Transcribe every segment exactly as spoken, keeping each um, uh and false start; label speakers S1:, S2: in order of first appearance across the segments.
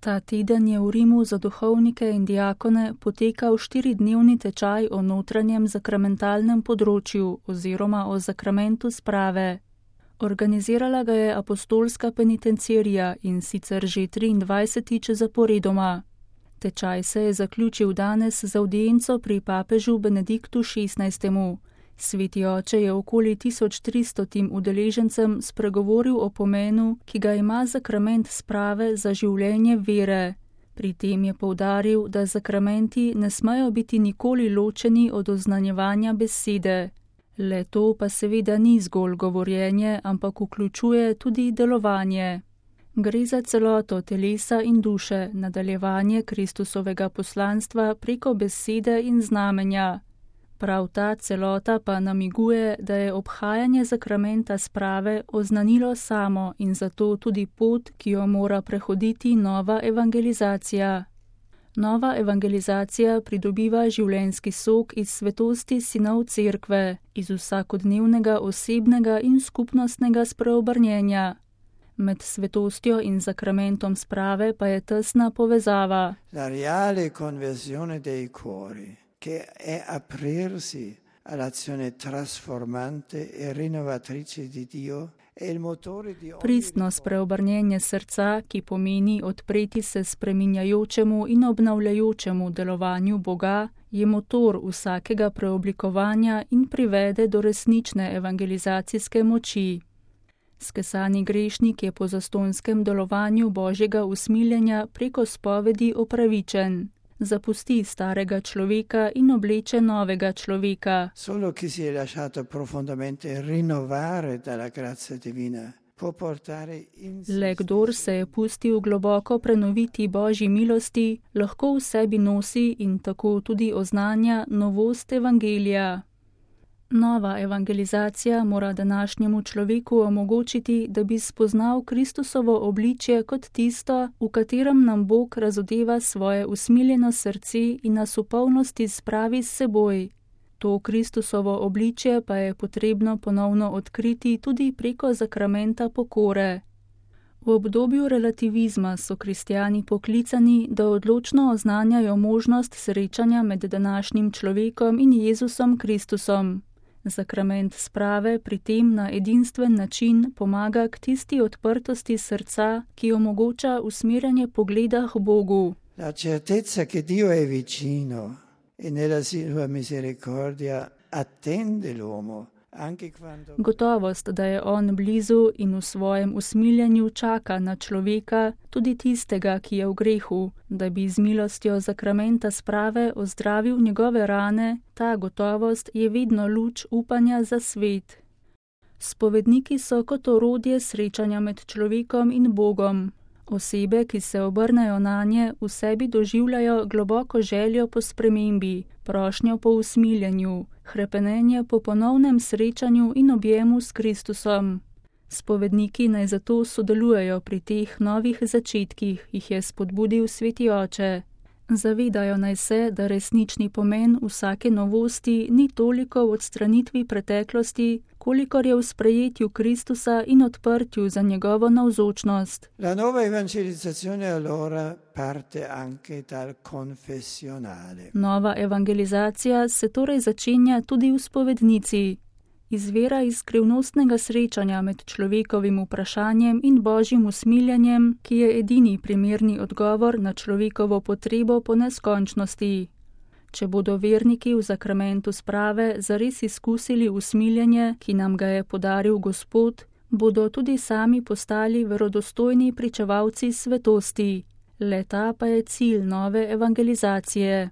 S1: Ta teden je v Rimu za duhovnike in diakone potekal štiridnevni tečaj o notranjem zakramentalnem področju oziroma o zakramentu sprave. Organizirala ga je apostolska penitencierija in sicer že triindvajsetič zaporedoma. Tečaj se je zaključil danes z avdienco pri papežu Benediktu šestnajstemu. Sveti oče je okoli tisoč tristotim udeležencem spregovoril o pomenu, ki ga ima zakrament sprave za življenje vere. Pri tem je poudaril, da zakramenti ne smejo biti nikoli ločeni od oznanjevanja besede. Le to pa seveda ni zgolj govorjenje, ampak vključuje tudi delovanje. Gre za celoto telesa in duše, nadaljevanje Kristusovega poslanstva preko besede in znamenja. Prav ta celota pa namiguje, da je obhajanje zakramenta sprave oznanilo samo in zato tudi pot, ki jo mora prehoditi nova evangelizacija. Nova evangelizacija pridobiva življenjski sok iz svetosti sinov cerkve, iz vsakodnevnega osebnega in skupnostnega spreobrnjenja. Med svetostjo in zakramentom sprave pa je tesna povezava.
S2: La reale conversione dei cuori, che è aprirsi all'azione trasformante e rinnovatrice di Dio, è il motore di ogni...
S1: Pristno spreobrnjenje srca, ki pomeni odpreti se spreminjajočemu in obnavljajočemu delovanju Boga, je motor vsakega preoblikovanja in privede do resnične evangelizacijske moči. Skesani grešnik je po zastonjskem delovanju Božjega usmiljenja preko spovedi opravičen. Zapusti starega človeka in obleče novega človeka.
S2: Solo chi si è lasciato profondamente rinnovare dalla grazia divina può portare in sé.
S1: Le kdor se je pustil globoko prenoviti Božji milosti, lahko v sebi nosi in tako tudi oznanja novost evangelija. Nova evangelizacija mora današnjemu človeku omogočiti, da bi spoznal Kristusovo obličje kot tisto, v katerem nam Bog razodeva svoje usmiljeno srce in nas v polnosti spravi s seboj. To Kristusovo obličje pa je potrebno ponovno odkriti tudi preko zakramenta pokore. V obdobju relativizma so kristjani poklicani, da odločno oznanjajo možnost srečanja med današnjim človekom in Jezusom Kristusom. Zakrament sprave pri tem na edinstven način pomaga k tisti odprtosti srca, ki omogoča usmerjanje pogleda k Bogu.
S2: La certezza che Dio è vicino e nella sua misericordia attende l'uomo anche quando...
S1: Gotovost, da je on blizu in v svojem usmiljenju čaka na človeka, tudi tistega, ki je v grehu, da bi z milostjo zakramenta sprave ozdravil njegove rane, ta gotovost je vedno luč upanja za svet. Spovedniki so kot orodje srečanja med človekom in Bogom. Osebe, ki se obrnejo nanje, v sebi doživljajo globoko željo po spremembi, prošnjo po usmiljenju, hrepenenje po ponovnem srečanju in objemu s Kristusom. Spovedniki naj zato sodelujejo pri teh novih začetkih, jih je spodbudil Sveti oče. Zavedajo naj se, da resnični pomen vsake novosti ni toliko v odstranitvi preteklosti, kolikor je v sprejetju Kristusa in odprtju za njegovo navzočnost.
S2: La nuova evangelizzazione allora parte anche dal confessionale.
S1: Nova evangelizacija se torej začenja tudi v spovednici. Izvira iz skrivnostnega srečanja med človekovim vprašanjem in Božjim usmiljenjem, ki je edini primerni odgovor na človekovo potrebo po neskončnosti. Če bodo verniki v zakramentu sprave zares izkusili usmiljenje, ki nam ga je podaril Gospod, bodo tudi sami postali verodostojni pričevalci svetosti. Le-ta pa je cilj nove evangelizacije.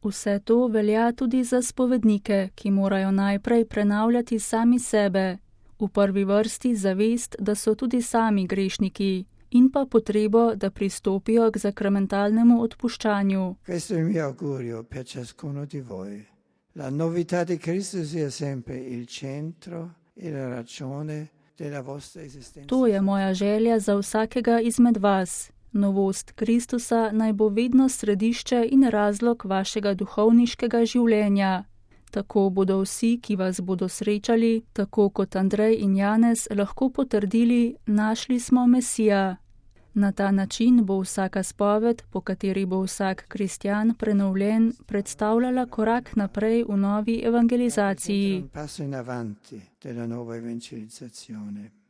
S1: Vse to velja tudi za spovednike, ki morajo najprej prenavljati sami sebe, v prvi vrsti zavest, da so tudi sami grešniki, in pa potrebo, da pristopijo k zakramentalnemu odpuščanju.
S2: Questo è il mio augurio per ciascuno di voi. La novità di Cristo sia sempre il centro e la ragione della vostra esistenza.
S1: To je moja želja za vsakega izmed vas. Novost Kristusa naj bo vedno središče in razlog vašega duhovniškega življenja. Tako bodo vsi, ki vas bodo srečali, tako kot Andrej in Janez, lahko potrdili, našli smo Mesija. Na ta način bo vsaka spoved, po kateri bo vsak kristjan prenovljen, predstavljala korak naprej v novi evangelizaciji.
S2: Un passo in avanti della nuova evangelizzazione.